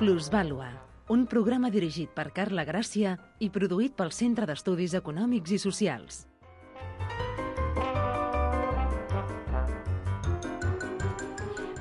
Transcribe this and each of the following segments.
Plusvàlua, un programa dirigit per Carla Gràcia i produït pel Centre d'Estudis Econòmics i Socials.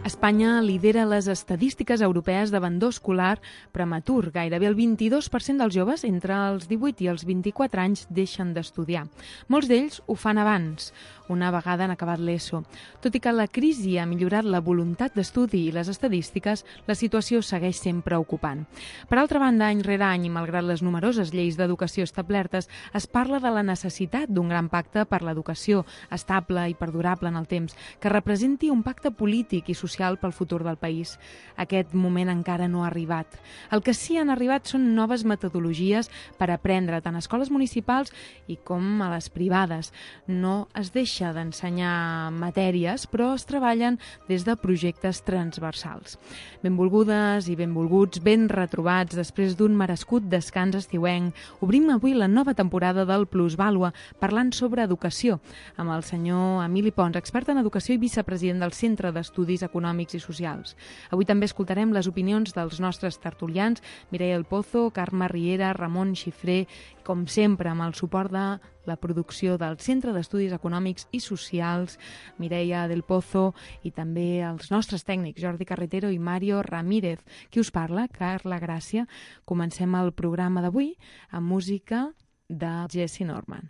Espanya lidera les estadístiques europees d'abandó escolar prematur. Gairebé el 22% dels joves entre els 18 i els 24 anys deixen d'estudiar. Molts d'ells ho fan abans, una vegada han acabat l'ESO. Tot i que la crisi ha millorat la voluntat d'estudi i les estadístiques, la situació segueix sent preocupant. Per altra banda, any rere any, i malgrat les numeroses lleis d'educació establertes, es parla de la necessitat d'un gran pacte per l'educació estable i perdurable en el temps, que representi un pacte polític i social pel futur del país. Aquest moment encara no ha arribat. El que sí han arribat són noves metodologies per aprendre tant a escoles municipals i com a les privades. No es deixa d'ensenyar matèries, però es treballen des de projectes transversals. Benvolgudes i benvolguts, ben retrobats després d'un merescut descans estiuenc. Obrim avui la nova temporada del Plusvàlua parlant sobre educació amb el senyor Emili Pons, expert en educació i vicepresident del Centre d'Estudis Econòmics i Socials. Avui també escoltarem les opinions dels nostres tertulians, Mireia del Pozo, Carme Riera, Ramon Xifré, com sempre amb el suport de la producció del Centre d'Estudis Econòmics i Socials, Mireia del Pozo, i també els nostres tècnics, Jordi Carretero i Mario Ramírez. Qui us parla? Carla Gràcia. Comencem el programa d'avui amb música de Jesse Norman.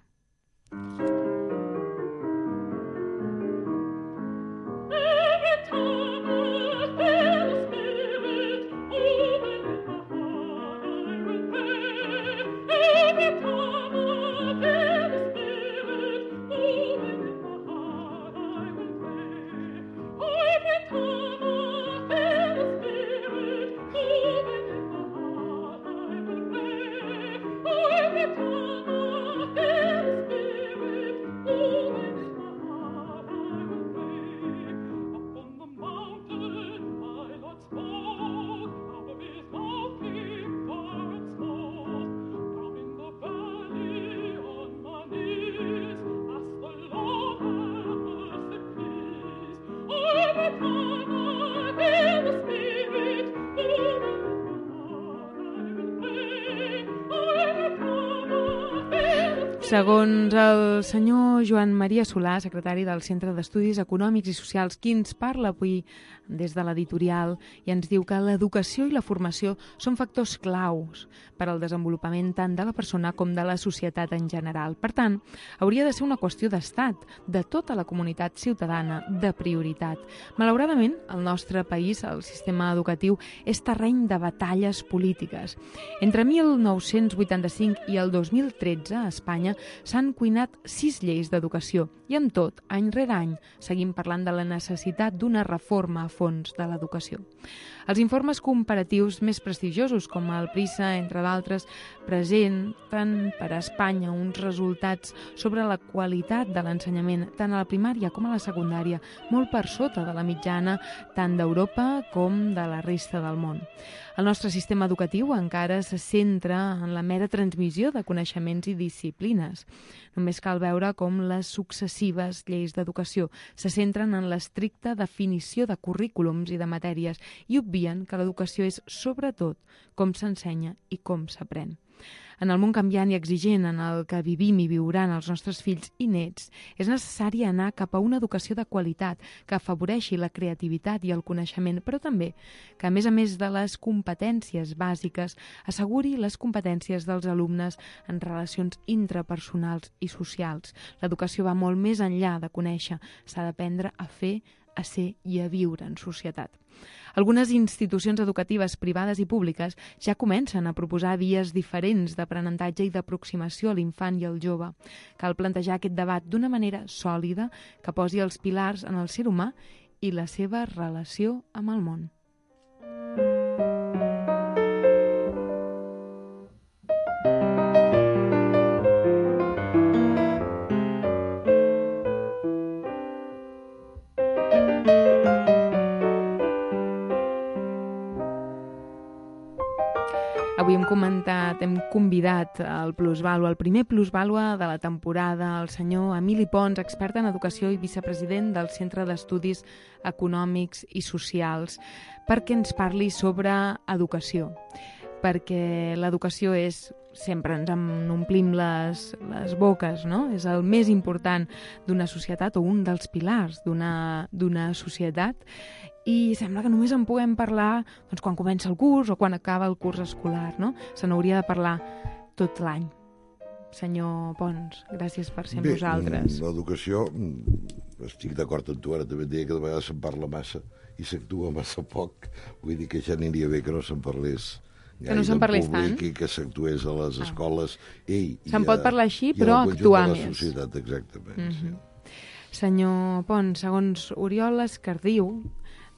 Segons el senyor Joan Maria Solà, secretari del Centre d'Estudis Econòmics i Socials, qui ens parla avui des de l'editorial i ens diu que l'educació i la formació són factors claus per al desenvolupament tant de la persona com de la societat en general. Per tant, hauria de ser una qüestió d'estat, de tota la comunitat ciutadana, de prioritat. Malauradament, al nostre país, el sistema educatiu és terreny de batalles polítiques. Entre 1985 i el 2013, a Espanya, s'han cuinat 6 lleis d'educació i, amb tot, any rere any, seguim parlant de la necessitat d'una reforma a fons de l'educació. Els informes comparatius més prestigiosos, com el PISA, entre d'altres, presenten per a Espanya uns resultats sobre la qualitat de l'ensenyament, tant a la primària com a la secundària, molt per sota de la mitjana tant d'Europa com de la resta del món. El nostre sistema educatiu encara se centra en la mera transmissió de coneixements i disciplines. Només cal veure com les successives lleis d'educació se centren en l'estricta definició de currículums i de matèries i obvien que l'educació és, sobretot, com s'ensenya i com s'aprèn. En el món canviant i exigent en el que vivim i viuran els nostres fills i nets, és necessari anar cap a una educació de qualitat que afavoreixi la creativitat i el coneixement, però també que, a més de les competències bàsiques, asseguri les competències dels alumnes en relacions intrapersonals i socials. L'educació va molt més enllà de conèixer, s'ha d'aprendre a fer, a ser i a viure en societat. Algunes institucions educatives privades i públiques ja comencen a proposar vies diferents d'aprenentatge i d'aproximació a l'infant i al jove. Cal plantejar aquest debat d'una manera sòlida que posi els pilars en el ser humà i la seva relació amb el món. avui hem convidat al Plusvàlua, el primer Plusvàlua de la temporada, el senyor Emili Pons, expert en educació i vicepresident del Centre d'Estudis Econòmics i Socials, perquè ens parli sobre educació. Perquè l'educació és, sempre ens en omplim les boques, no? És el més important d'una societat o un dels pilars d'una societat, i sembla que només en puguem parlar doncs, quan comença el curs o quan acaba el curs escolar, no? Se n'hauria de parlar tot l'any. Senyor Pons, gràcies per ser amb nosaltres. Bé, l'educació, estic d'acord amb tu, ara també et deia que de vegades se'n parla massa i s'actua massa poc, vull dir que ja aniria bé que no se'n parlés que no se'n parlés tant i que s'actués a les escoles. Se'n pot parlar així, però actuar més. I al conjunt de la societat, exactament. Sí. Senyor Pons, segons Oriol Escardiu,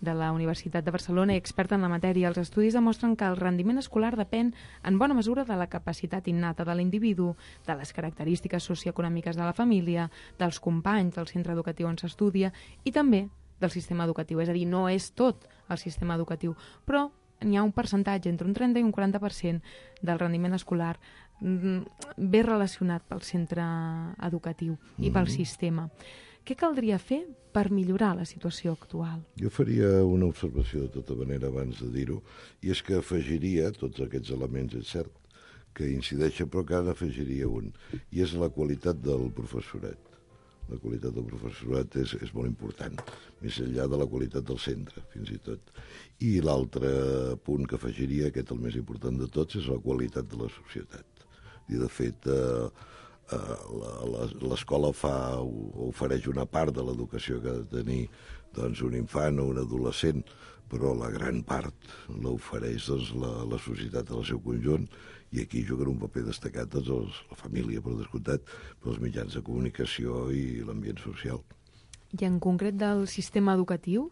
de la Universitat de Barcelona i expert en la matèria, els estudis demostren que el rendiment escolar depèn en bona mesura de la capacitat innata de l'individu, de les característiques socioeconòmiques de la família, dels companys del centre educatiu on s'estudia i també del sistema educatiu. És a dir, no és tot el sistema educatiu, però n'hi ha un percentatge, entre un 30 i un 40% del rendiment escolar ben relacionat pel centre educatiu i pel sistema. Què caldria fer per millorar la situació actual? Jo faria una observació de tota manera abans de dir-ho, i és que afegiria tots aquests elements, és cert, que incideixen, però que ara afegiria un, i és la qualitat del professorat. La qualitat del professorat és molt important, més enllà de la qualitat del centre, fins i tot. I l'altre punt que afegiria, aquest el més important de tots, és la qualitat de la societat. I de fet, l'escola ofereix una part de l'educació que ha de tenir doncs, un infant o un adolescent, però la gran part l'ofereix doncs, la societat en el seu conjunt, i aquí juguen un paper destacat doncs, la família, per descomptat, però els mitjans de comunicació i l'ambient social. I en concret del sistema educatiu,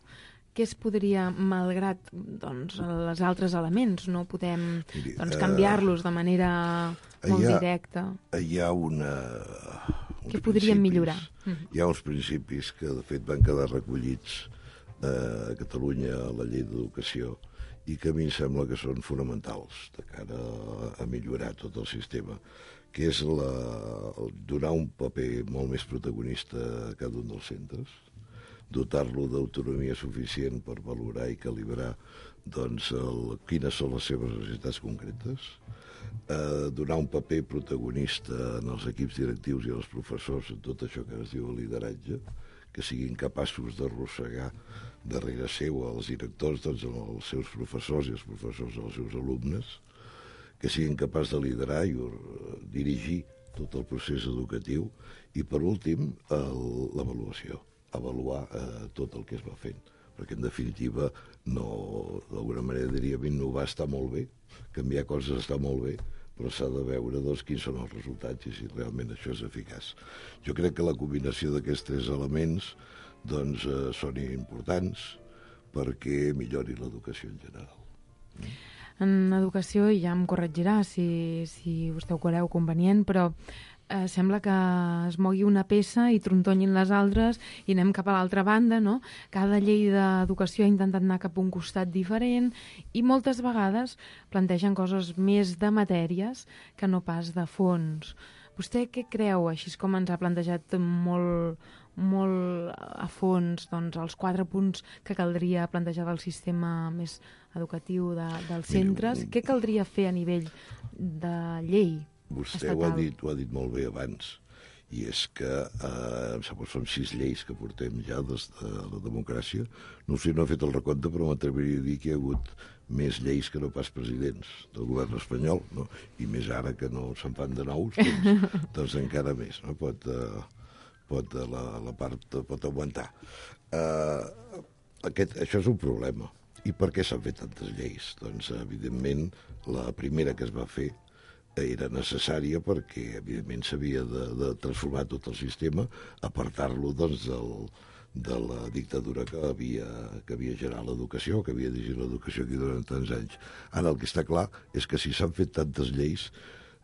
què es podria, malgrat doncs, els altres elements, no podem canviar-los de manera molt directa? Hi ha què podríem millorar? Hi ha uns principis que, de fet, van quedar recollits a Catalunya a la llei d'educació i que a mi em sembla que són fonamentals de cara a millorar tot el sistema, que és donar un paper molt més protagonista a cada un dels centres, dotar-lo d'autonomia suficient per valorar i calibrar doncs, quines són les seves necessitats concretes, donar un paper protagonista en els equips directius i als professors en tot això que es diu lideratge, que siguin capaços d'arrossegar darrere seu els directors, doncs, els seus professors i els professors dels seus alumnes, que siguin capaços de liderar i dirigir tot el procés educatiu i, per últim, l'avaluació, avaluar tot el que es va fent, perquè, en definitiva, d'alguna manera diríem, innovar està molt bé, canviar coses està molt bé, però s'ha de veure doncs, quins són els resultats i si realment això és eficaç. Jo crec que la combinació d'aquests tres elements doncs, són importants perquè millori l'educació en general. En educació, ja em corregirà si vostè ho creu convenient, però sembla que es mogui una peça i trontonyin les altres i anem cap a l'altra banda, no? Cada llei d'educació ha intentat anar cap a un costat diferent i moltes vegades plantegen coses més de matèries que no pas de fons. Vostè què creu, així com ens ha plantejat molt a fons doncs, els 4 punts que caldria plantejar del sistema més educatiu dels centres? Què caldria fer a nivell de llei? Vostè ho ha dit molt bé abans, i és que em sembla que són 6 lleis que portem ja des de la democràcia. No sé, no he fet el recompte, però m'atreviria a dir que hi ha hagut més lleis que no pas presidents del govern espanyol, no? I més ara que no se'n fan de nous, doncs encara més, no? La part pot aguantar. Això és un problema. I per què s'han fet tantes lleis? Doncs, evidentment, la primera que es va fer era necessària perquè, evidentment, s'havia de transformar tot el sistema, apartar-lo doncs, de la dictadura que havia generat l'educació, que havia dirigit l'educació aquí durant tants anys. Ara, el que està clar és que si s'han fet tantes lleis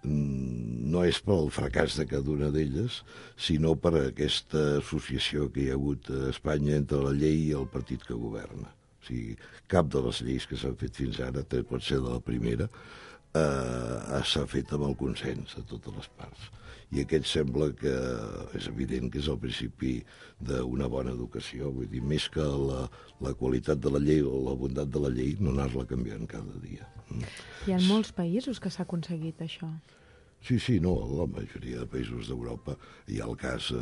no és pel fracàs de cada una d'elles, sinó per aquesta associació que hi ha hagut a Espanya entre la llei i el partit que governa. O sigui, cap de les lleis que s'han fet fins ara, pot ser de la primera, s'ha fet amb el consens de totes les parts. I aquest sembla que és evident que és el principi d'una bona educació. Vull dir, més que la qualitat de la llei o la bondat de la llei, no anar-la canviant cada dia. Hi ha molts països que s'ha aconseguit això. Sí, no, la majoria de països d'Europa. Hi ha el cas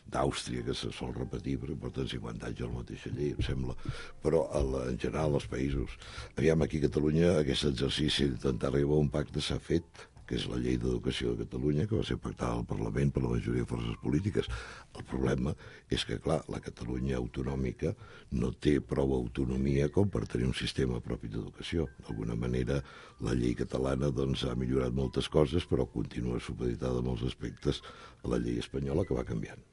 d'Àustria, que se sol repetir, perquè porten 50 anys a la mateixa llei, em sembla. Però, en general, els països... Aviam, aquí a Catalunya, aquest exercici d'intentar arribar a un pacte s'ha fet, que és la llei d'educació de Catalunya, que va ser pactada al Parlament per la majoria de forces polítiques. El problema és que, clar, la Catalunya autonòmica no té prou autonomia com per tenir un sistema propi d'educació. D'alguna manera, la llei catalana doncs, ha millorat moltes coses, però continua supeditada en molts aspectes a la llei espanyola, que va canviant.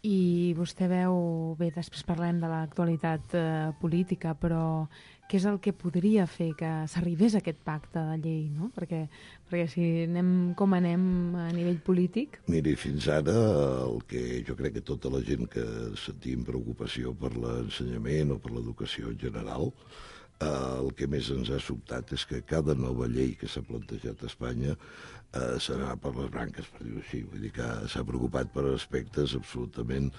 I vostè veu, bé, després parlem de l'actualitat política, però què és el que podria fer que s'arribés a aquest pacte de llei, no? Perquè si anem com anem a nivell polític... Miri, fins ara el que jo crec que tota la gent que sentim preocupació per l'ensenyament o per l'educació en general, el que més ens ha sobtat és que cada nova llei que s'ha plantejat a Espanya s'ha per les branques, per dir-ho així. Vull dir que s'ha preocupat per aspectes absolutament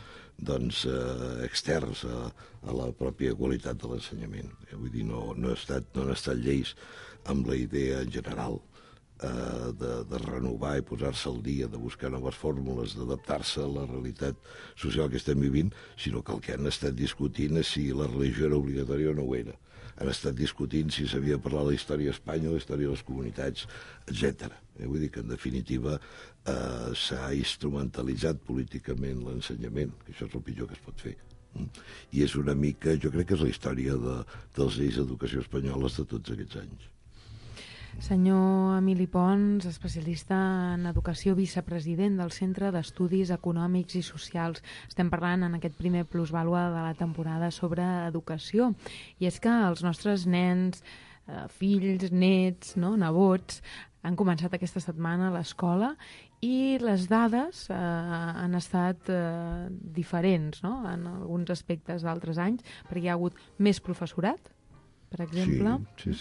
externs a la pròpia qualitat de l'ensenyament. Vull dir, no han estat lleis amb la idea en general de renovar i posar-se al dia, de buscar noves fórmules, d'adaptar-se a la realitat social que estem vivint, sinó que el que han estat discutint és si la religió era obligatòria o no ho era. Han estat discutint si s'havia de parlar de la història d'Espanya, la història de les comunitats, etc. Vull dir que, en definitiva, s'ha instrumentalitzat políticament l'ensenyament, que això és el pitjor que es pot fer. I és una mica, jo crec que és la història dels lleis d'educació espanyoles de tots aquests anys. Senyor Emili Pons, especialista en educació, vicepresident del Centre d'Estudis Econòmics i Socials. Estem parlant en aquest primer plusvàlua de la temporada sobre educació. I és que els nostres nens, fills, nets, nebots, han començat aquesta setmana a l'escola i les dades han estat diferents, no?, en alguns aspectes d'altres anys, perquè hi ha hagut més professorat, per exemple. Sí.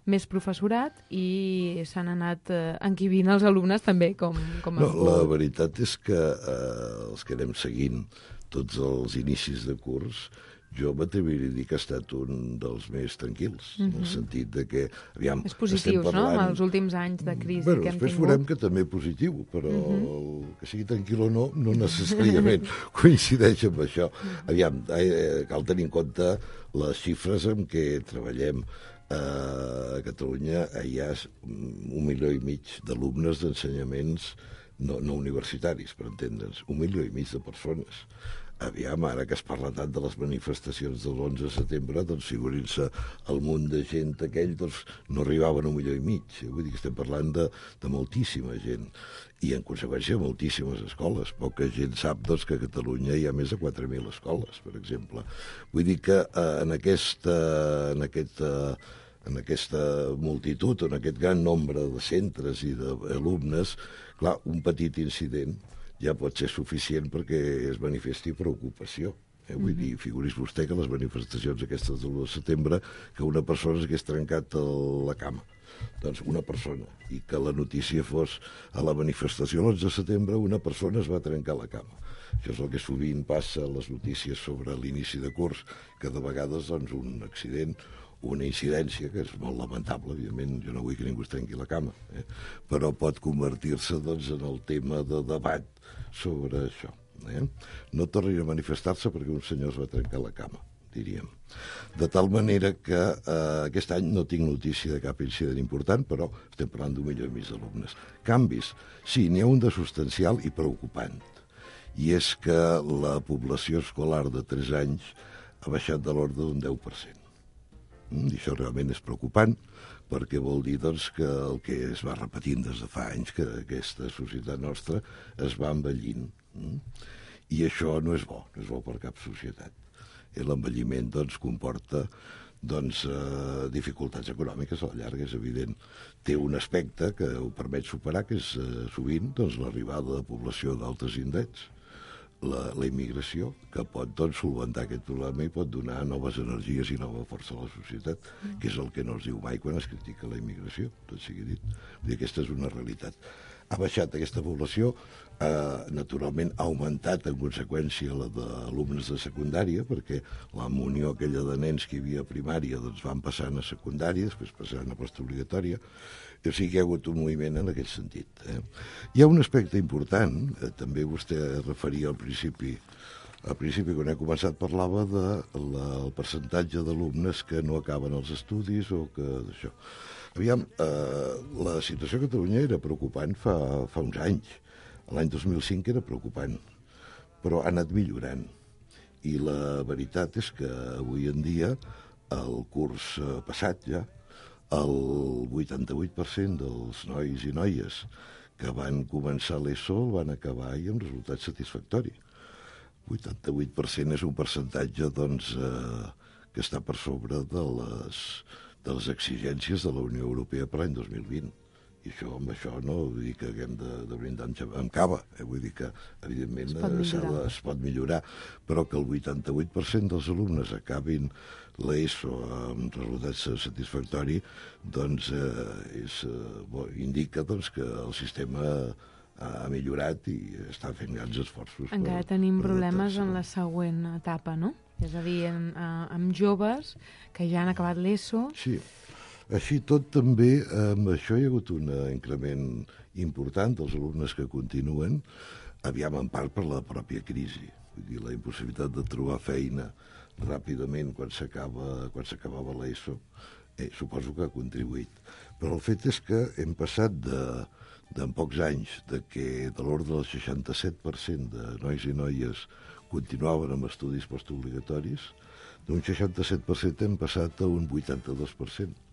Més professorat i s'han anat enquivint els alumnes també, com la veritat és que els que anem seguint tots els inicis de curs, jo m'atreviria a dir que ha estat un dels més tranquils, en el sentit de que, aviam, és positius, no?, amb els últims anys de crisi que hem tingut. Després veurem que també positiu, però que sigui tranquil o no necessàriament coincideix amb això. Aviam, cal tenir en compte les xifres amb què treballem. A Catalunya hi ha 1,5 milió d'alumnes d'ensenyaments no universitaris, per entendre'ns, 1,5 milió de persones. Aviam, ara que es parla tant de les manifestacions del 11 de setembre, doncs figurin-se el munt de gent aquell, doncs no arribaven a 1,5 milió. Vull dir que estem parlant de moltíssima gent. I, en conseqüència, moltíssimes escoles. Poca gent sap doncs, que a Catalunya hi ha més de 4.000 escoles, per exemple. Vull dir que en aquesta multitud, en aquest gran nombre de centres i d'alumnes, clar, un petit incident ja pot ser suficient perquè es manifesti preocupació. Vull dir, figuris vostè que les manifestacions aquestes del 1 de setembre, que una persona s'hagués trencat la cama. Doncs una persona, i que la notícia fos a la manifestació l'11 de setembre una persona es va trencar la cama. Això és el que sovint passa a les notícies sobre l'inici de curs, que de vegades doncs, un accident, una incidència, que és molt lamentable, evidentment, jo no vull que ningú es trenqui la cama, però pot convertir-se doncs, en el tema de debat sobre això. No tornin a manifestar-se perquè un senyor es va trencar la cama, diríem. De tal manera que aquest any no tinc notícia de cap incident important, però estem parlant d'1,5 milió d'alumnes. Canvis, sí, n'hi ha un de substancial i preocupant, i és que la població escolar de 3 anys ha baixat de l'ordre d'un 10%. I això realment és preocupant, perquè vol dir doncs, que el que es va repetint des de fa anys, que aquesta societat nostra es va envellint. I això no és bo per cap societat. L'envelliment doncs, comporta dificultats econòmiques a la llarga, és evident. Té un aspecte que ho permet superar, que és sovint l'arribada de població d'altres indrets. la immigració, que pot doncs, solventar aquest problema i pot donar noves energies i nova força a la societat, que és el que no es diu mai quan es critica la immigració, tot sigui dit. Vull dir, aquesta és una realitat. Ha baixat aquesta població, naturalment ha augmentat en conseqüència la d'alumnes de secundària, perquè la munió aquella de nens que hi havia a primària doncs van passant a secundària, després passant a postobligatòria, o sigui que hi ha hagut un moviment en aquest sentit. Hi ha un aspecte important, també vostè referia al principi, quan he començat parlava del percentatge d'alumnes que no acaben els estudis o que d'això. Aviam, la situació a Catalunya era preocupant fa uns anys. L'any 2005 era preocupant, però ha anat millorant. I la veritat és que avui en dia, el curs passat ja, el 88% dels nois i noies que van començar l'ESO el van acabar i amb resultat satisfactori. 88% és un percentatge doncs, que està per sobre de les exigències de la Unió Europea per l'any 2020. I amb això no vull dir que haguem de brindar amb cava, vull dir que evidentment es pot millorar, però que el 88% dels alumnes acabin l'ESO amb resultats satisfactoris, doncs indica doncs, que el sistema ha millorat i està fent grans esforços. Encara tenim problemes en la següent etapa, no? És a dir, amb joves que ja han acabat l'ESO. Sí. Així tot també, amb això hi ha hagut un increment important dels alumnes que continuen, aviam en part per la pròpia crisi. Vull dir, la impossibilitat de trobar feina ràpidament quan s'acabava l'ESO, suposo que ha contribuït. Però el fet és que hem passat en pocs anys de l'ordre del 67% de nois i noies continuaven amb estudis postobligatoris, d'un 67% hem passat a un 82%.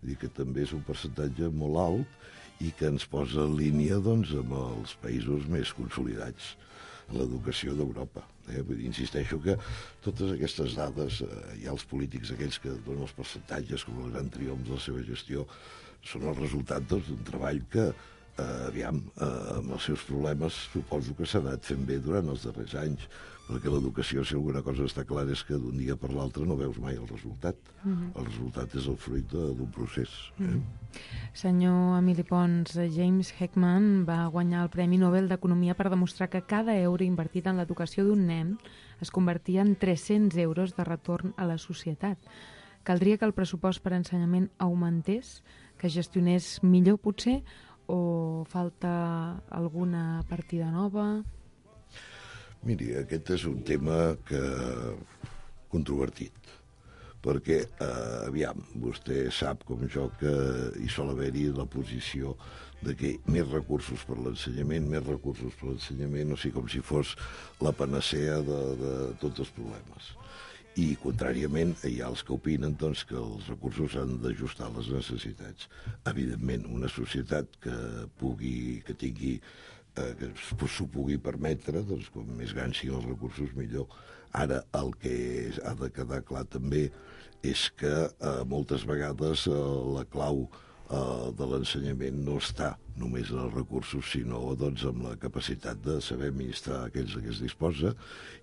Vull dir que també és un percentatge molt alt i que ens posa en línia doncs, amb els països més consolidats en l'educació d'Europa. Vull dir, insisteixo que totes aquestes dades, hi ha els polítics aquells que donen els percentatges com el gran triomf de la seva gestió, són el resultat doncs, d'un treball que, amb els seus problemes, suposo que s'ha anat fent bé durant els darrers anys, perquè l'educació, si alguna cosa està clara, és que d'un dia per l'altre no veus mai el resultat. El resultat és el fruit d'un procés. Senyor Emili Pons, James Heckman va guanyar el Premi Nobel d'Economia per demostrar que cada euro invertit en l'educació d'un nen es convertia en 300 euros de retorn a la societat. Caldria que el pressupost per ensenyament augmentés, que gestionés millor potser, o falta alguna partida nova? Miri, aquest és un tema controvertit, perquè, vostè sap com jo que hi sol haver-hi la posició de que més recursos per l'ensenyament, o sigui, com si fos la panacea de tots els problemes. I, contràriament, hi ha els que opinen doncs, que els recursos s'han d'ajustar a les necessitats. Evidentment, una societat que tingui que s'ho pugui permetre, doncs, com més grans siguin els recursos, millor. Ara, el que ha de quedar clar també és que moltes vegades la clau de l'ensenyament no està només en els recursos, sinó doncs, en la capacitat de saber administrar aquells que es disposa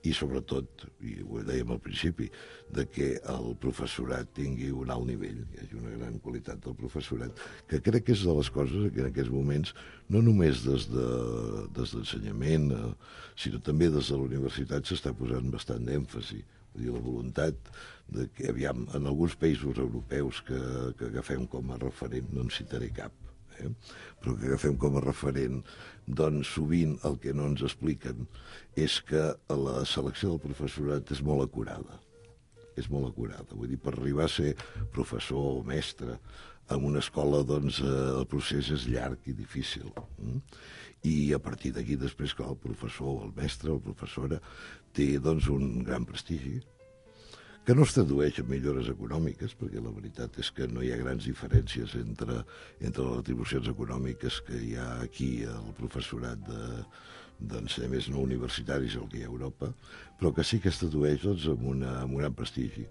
i, sobretot, i ho dèiem al principi, de que el professorat tingui un alt nivell, hi hagi una gran qualitat del professorat, que crec que és de les coses que en aquests moments, no només des d'ensenyament, sinó també des de la universitat s'està posant bastant d'èmfasi. Vull dir, la voluntat de que, en alguns països europeus que agafem com a referent, no en citaré cap, però que agafem com a referent, doncs sovint el que no ens expliquen és que la selecció del professorat és molt acurada. És molt acurada. Vull dir, per arribar a ser professor o mestre en una escola, doncs, el procés és llarg i difícil. I a partir d'aquí, després, clar, el professor, el mestre, la professora, té, doncs, un gran prestigi, que no es tradueix en millores econòmiques, perquè la veritat és que no hi ha grans diferències entre les retribucions econòmiques que hi ha aquí al professorat d'ensenyaments no universitaris, el que hi ha a Europa, però que sí que es tradueix doncs, amb un gran prestigi,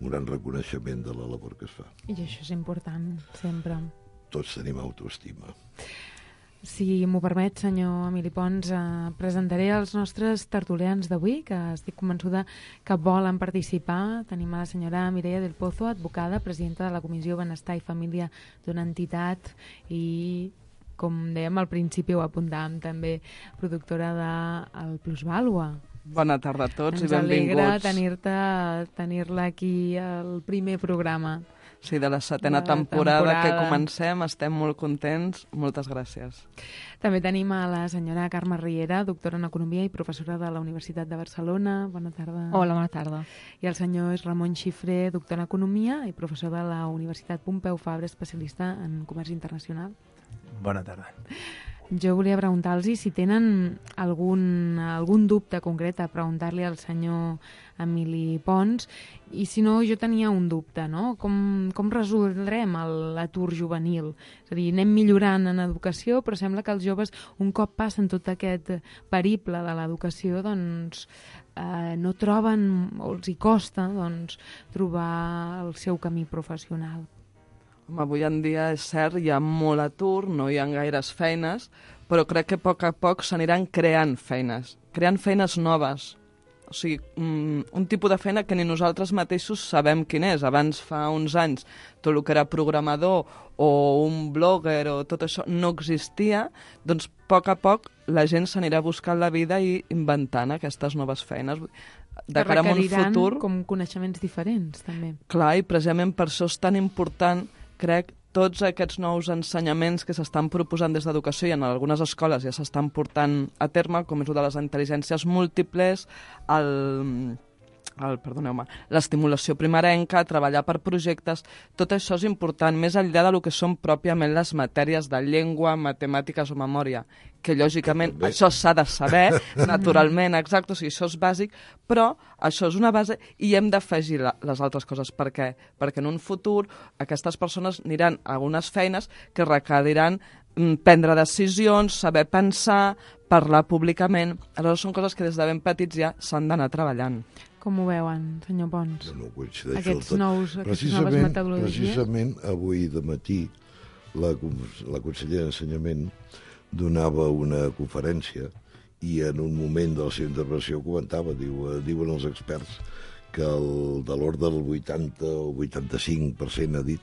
un gran reconeixement de la labor que es fa. I això és important, sempre. Tots tenim autoestima. Si m'ho permet, senyor Emili Pons, presentaré els nostres tertulians d'avui, que estic convençuda que volen participar. Tenim a la senyora Mireia del Pozo, advocada, presidenta de la Comissió Benestar i Família d'una entitat i, com dèiem al principi, ho apuntàvem també, productora del Plusvàlua. Bona tarda a tots i benvinguts. Ens alegra tenir-la aquí al primer programa. Sí, de la setena temporada que comencem, estem molt contents. Moltes gràcies. També tenim a la senyora Carme Riera, doctora en Economia i professora de la Universitat de Barcelona. Bona tarda. Hola, bona tarda. I el senyor Ramon Xifré, doctor en Economia i professor de la Universitat Pompeu Fabra, especialista en comerç internacional. Bona tarda. Jo volia preguntar-los si tenen algun dubte concret a preguntar-li al senyor Emili Pons, i si no, jo tenia un dubte, no? Com resoldrem l'atur juvenil? És a dir, anem millorant en educació, però sembla que els joves, un cop passen tot aquest periple de l'educació, doncs no troben, o els hi costa, doncs, trobar el seu camí professional. Avui en dia és cert, hi ha molt atur, no hi ha gaires feines, però crec que a poc s'aniran creant feines noves. O sigui, un tipus de feina que ni nosaltres mateixos sabem quin és. Abans, fa uns anys, tot el que era programador o un blogger o tot això no existia, doncs a poc la gent s'anirà buscant la vida i inventant aquestes noves feines. De cara a un futur, com coneixements diferents, també. Clar, i precisament per això és tan important, crec, tots aquests nous ensenyaments que s'estan proposant des d'educació i en algunes escoles ja s'estan portant a terme, com és el de les intel·ligències múltiples, l'estimulació primerenca, treballar per projectes, tot això és important, més enllà del que són pròpiament les matèries de llengua, matemàtiques o memòria, que lògicament això s'ha de saber, naturalment, exacte, o sigui, això és bàsic, però això és una base i hem d'afegir les altres coses. Per què? Perquè en un futur aquestes persones aniran a algunes feines que requeriran prendre decisions, saber pensar, parlar públicament. Aleshores són coses que des de ben petits ja s'han d'anar treballant. Com ho veuen, senyor Pons? No Aquestes noves metodologies? Precisament avui de matí la consellera d'Ensenyament donava una conferència i en un moment de la seva intervenció comentava, diuen els experts, que de l'ordre del 80 o 85% ha dit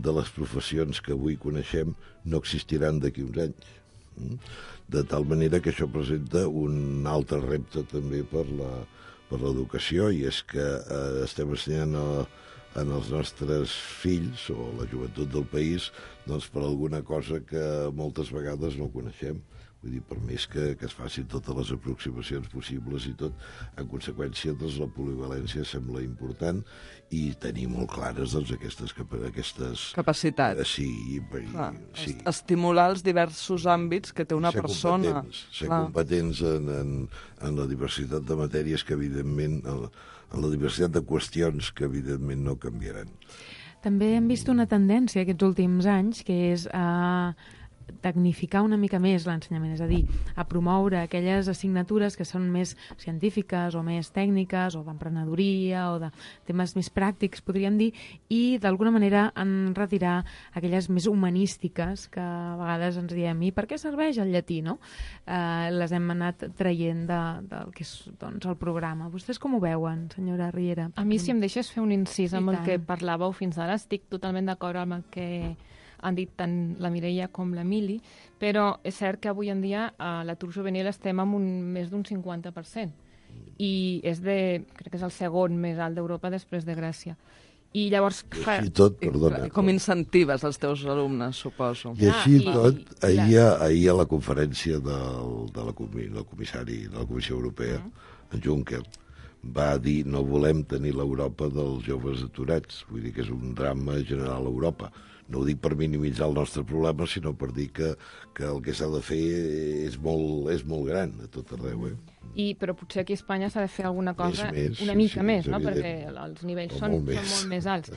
de les professions que avui coneixem no existiran d'aquí uns anys. De tal manera que això presenta un altre repte també per l'educació, i és que estem ensenyant als nostres fills o la joventut del país doncs per alguna cosa que moltes vegades no coneixem. Vull dir, per més que es facin totes les aproximacions possibles i tot, en conseqüència, doncs, la polivalència sembla important i tenir molt clares doncs, aquestes capacitats. Sí. Estimular els diversos àmbits que té una persona. Ser competents en la diversitat de matèries que, evidentment, en la diversitat de qüestions que, evidentment, no canviaran. També hem vist una tendència aquests últims anys, que és tecnificar una mica més l'ensenyament, és a dir, a promoure aquelles assignatures que són més científiques o més tècniques o d'emprenedoria o de temes més pràctics, podríem dir, i d'alguna manera en retirar aquelles més humanístiques que a vegades ens diem, i per què serveix el llatí, no? Les hem anat traient del que és doncs, el programa. Vostès com ho veuen, senyora Riera? A mi, si em deixes fer un incís amb el que parlàveu fins ara, estic totalment d'acord amb el que han dit tant la Mireia com l'Emili, però és cert que avui en dia a l'atur juvenil estem amb més d'un 50%, i crec que és el segon més alt d'Europa després de Grècia. I llavors... Com incentives els teus alumnes, suposo. I així tot, ahir a la conferència de la Comissió Europea, en Juncker, va dir no volem tenir l'Europa dels joves aturats, vull dir que és un drama general a Europa. No ho dic per minimitzar el nostre problema, sinó per dir que el que s'ha de fer és molt gran a tot arreu. Però potser aquí a Espanya s'ha de fer alguna cosa una mica més, no? Perquè els nivells són molt més alts.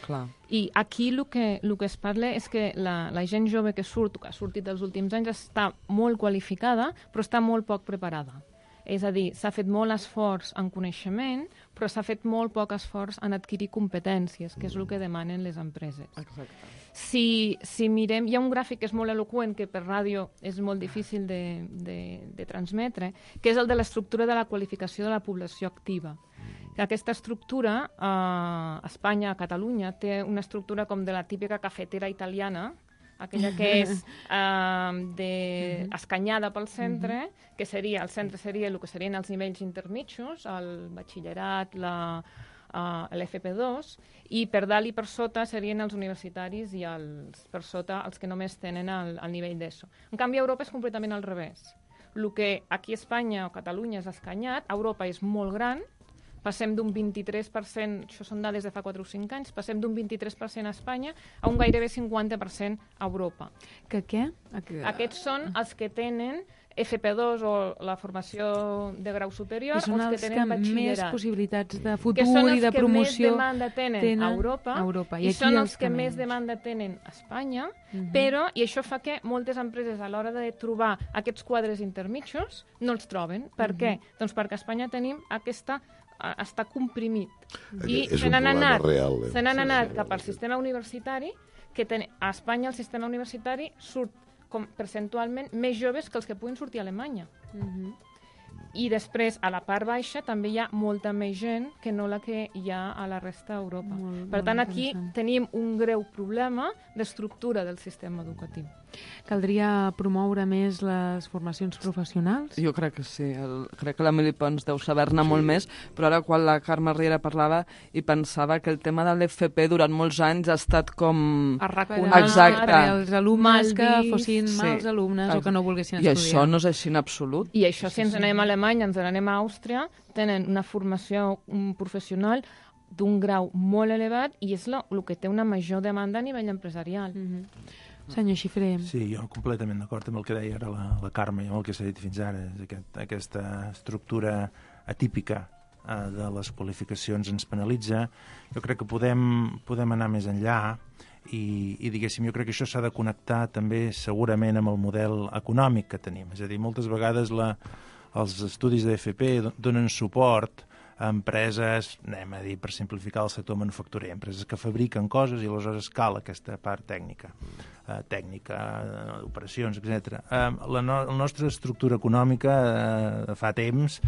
I aquí el que es parla és que la gent jove que ha sortit dels últims anys està molt qualificada, però està molt poc preparada. És a dir, s'ha fet molt esforç en coneixement, però s'ha fet molt poc esforç en adquirir competències, que és el que demanen les empreses. Exacte. Si mirem, hi ha un gràfic que és molt eloqüent, que per ràdio és molt difícil de transmetre, que és el de l'estructura de la qualificació de la població activa. Aquesta estructura, a Espanya, a Catalunya, té una estructura com de la típica cafetera italiana, aquella que és escanyada pel centre, que seria, el centre seria el que serien els nivells intermitjos, el batxillerat, l'FP2, i per dalt i per sota serien els universitaris i per sota els que només tenen el nivell d'ESO. En canvi, a Europa és completament al revés. El que aquí a Espanya o Catalunya és escanyat, a Europa és molt gran, passem d'un 23%, això són dades de fa 4 o 5 anys, passem d'un 23% a Espanya a un gairebé 50% a Europa. Què? Aquests són els que tenen FP2 o la formació de grau superior, o els que tenen batxillerat. Més possibilitats de futur i de promoció que són els que més demanda tenen a Europa i són els que més demanda tenen a Espanya, però, i això fa que moltes empreses a l'hora de trobar aquests quadres intermitjos no els troben. Per què? Doncs perquè a Espanya tenim està comprimit. I se n'han anat cap al sistema universitari, que a Espanya el sistema universitari surt percentualment més joves que els que puguin sortir a Alemanya. I després, a la part baixa, també hi ha molta més gent que no la que hi ha a la resta d'Europa. Per tant, aquí tenim un greu problema d'estructura del sistema educatiu. Caldria promoure més les formacions professionals? Jo crec que sí. Crec que l'Emili Pons deu saber-ne molt més, però ara quan la Carme Riera parlava i pensava que el tema de l'FP durant molts anys ha estat com... Exacte. Per als alumnes que fossin mals alumnes o que no volguessin estudiar. I això no és així en absolut. I això, si ens anem a Alemanya, ens anem a Àustria, tenen una formació professional d'un grau molt elevat i és el que té una major demanda a nivell empresarial. Senyor Xifré. Sí, jo completament d'acord amb el que deia ara la Carme i amb el que s'ha dit fins ara. Aquesta estructura atípica de les qualificacions ens penalitza. Jo crec que podem anar més enllà i diguéssim, jo crec que això s'ha de connectar també segurament amb el model econòmic que tenim. És a dir, moltes vegades els estudis d'FP donen suport a empreses, anem a dir, per simplificar el sector manufacturer, empreses que fabriquen coses i aleshores cal aquesta part tècnica, operacions, etc. La nostra estructura econòmica fa temps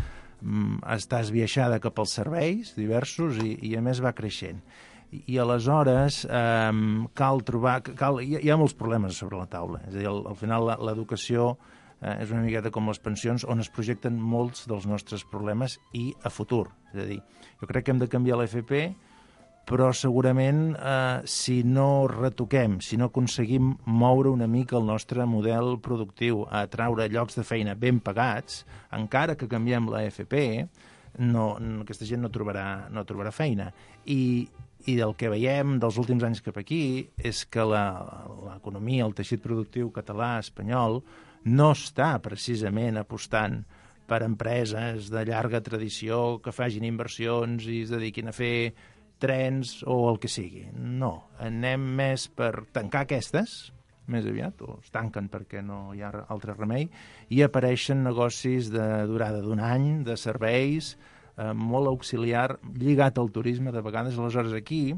està esbiaixada cap als serveis diversos i a més va creixent. I aleshores cal trobar... Hi ha molts problemes sobre la taula. És a dir, al final l'educació és una miqueta com les pensions on es projecten molts dels nostres problemes i a futur. És a dir, jo crec que hem de canviar l'FP, però segurament si no retoquem, si no aconseguim moure una mica el nostre model productiu a atraure llocs de feina ben pagats, encara que canviem l'FP, aquesta gent no trobarà feina. I el que veiem dels últims anys cap aquí és que l'economia, el teixit productiu català, espanyol, no està precisament apostant per empreses de llarga tradició que facin inversions i es dediquin a fer trens o el que sigui. No, anem més per tancar aquestes, més aviat, o es tanquen perquè no hi ha altre remei, i apareixen negocis de durada d'un any, de serveis, molt auxiliar, lligat al turisme de vegades. Aleshores aquí,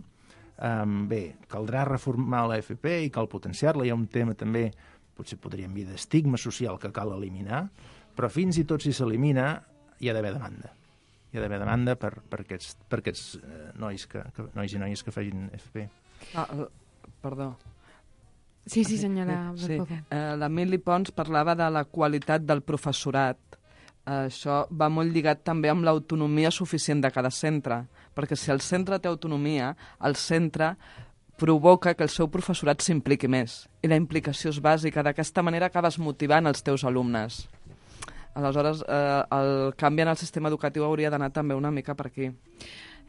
caldrà reformar l'AFP i cal potenciar-la. Hi ha un tema també, potser podríem dir, d'estigma social que cal eliminar, però fins i tot si s'elimina hi ha d'haver demanda. Hi ha d'haver demanda per aquests nois i noies que facin FP. Perdó. Sí, senyora. Sí. L'Emili Pons parlava de la qualitat del professorat. Això va molt lligat també amb l'autonomia suficient de cada centre, perquè si el centre té autonomia, el centre provoca que el seu professorat s'impliqui més. I la implicació és bàsica. D'aquesta manera acabes motivant els teus alumnes. Aleshores, el canvi en el sistema educatiu hauria d'anar també una mica per aquí.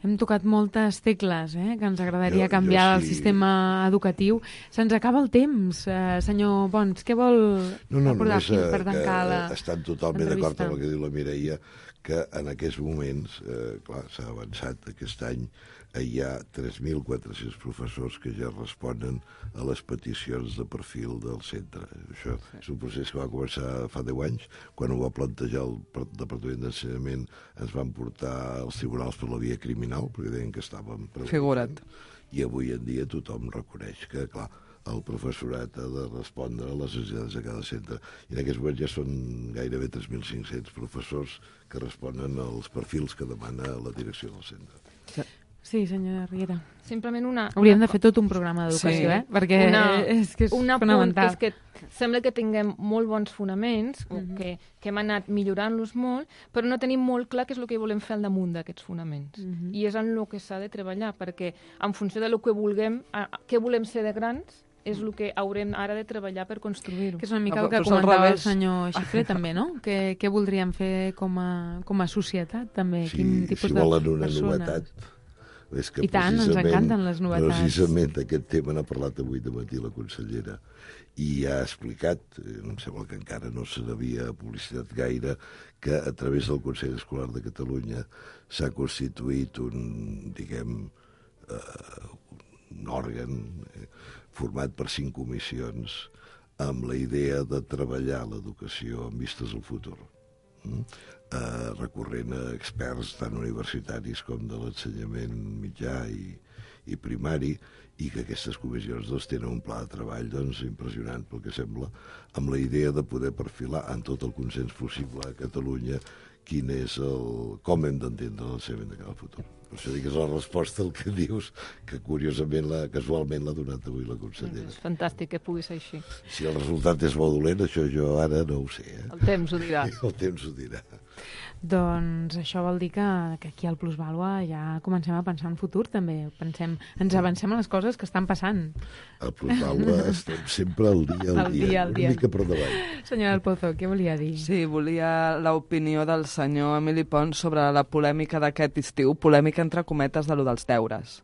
Hem tocat moltes tecles, que ens agradaria canviar el sistema educatiu. Se'ns acaba el temps, senyor Pons. Què vol aportar per tancar l'entrevista? Estan totalment d'acord amb el que diu la Mireia, que en aquests moments, clar, s'ha avançat aquest any, hi ha 3.400 professors que ja responen a les peticions de perfil del centre. Això és un procés que va començar fa 10 anys. Quan ho va plantejar el Departament d'Ensenyament ens van portar als tribunals per la via criminal, perquè deien que estàvem... Figura't. I avui en dia tothom reconeix que, clar, el professorat ha de respondre a les necessitats de cada centre. I en aquests moments ja són gairebé 3.500 professors que responen als perfils que demana la direcció del centre. Sí, senyora Riera. Simplement hauríem de fer tot un programa d'educació, perquè és que és fonamental. És que sembla que tinguem molt bons fonaments, que hem anat millorant-los molt, però no tenim molt clar què és el que volem fer al damunt d'aquests fonaments. I és en el que s'ha de treballar, perquè en funció del que vulguem, què volem ser de grans, és el que haurem ara de treballar per construir-ho. Que és una mica el que comentava el senyor Xifré, també, no? Què voldríem fer com a societat, també? Quin tipus de volen una novetat. És que i tant, ens encanten les novetats. Precisament aquest tema n'ha parlat avui de matí la consellera i ha explicat, em sembla que encara no se n'havia publicitat gaire, que a través del Consell Escolar de Catalunya s'ha constituït un òrgan format per 5 comissions amb la idea de treballar l'educació amb vistes al futur. Recorrent a experts tant universitaris com de l'ensenyament mitjà i primari, i que aquestes comissions tenen un pla de treball impressionant, pel que sembla, amb la idea de poder perfilar en tot el consens possible a Catalunya com hem d'entendre l'ensenyament de cara al futur. Per això dic que és la resposta al que dius, que curiosament, casualment l'ha donat avui la consellera. És fantàstic que pugui ser així. Si el resultat és bo o dolent, això jo ara no ho sé. El temps ho dirà. El temps ho dirà. Doncs això vol dir que aquí al Plusvàlua ja comencem a pensar en futur, també. Ens avancem a les coses que estan passant. Al Plusvàlua estem sempre al dia, una mica per davant. Senyora del Pozo, què volia dir? Sí, volia l'opinió del senyor Emili Pons sobre la polèmica d'aquest estiu, polèmica entre cometes de lo dels deures.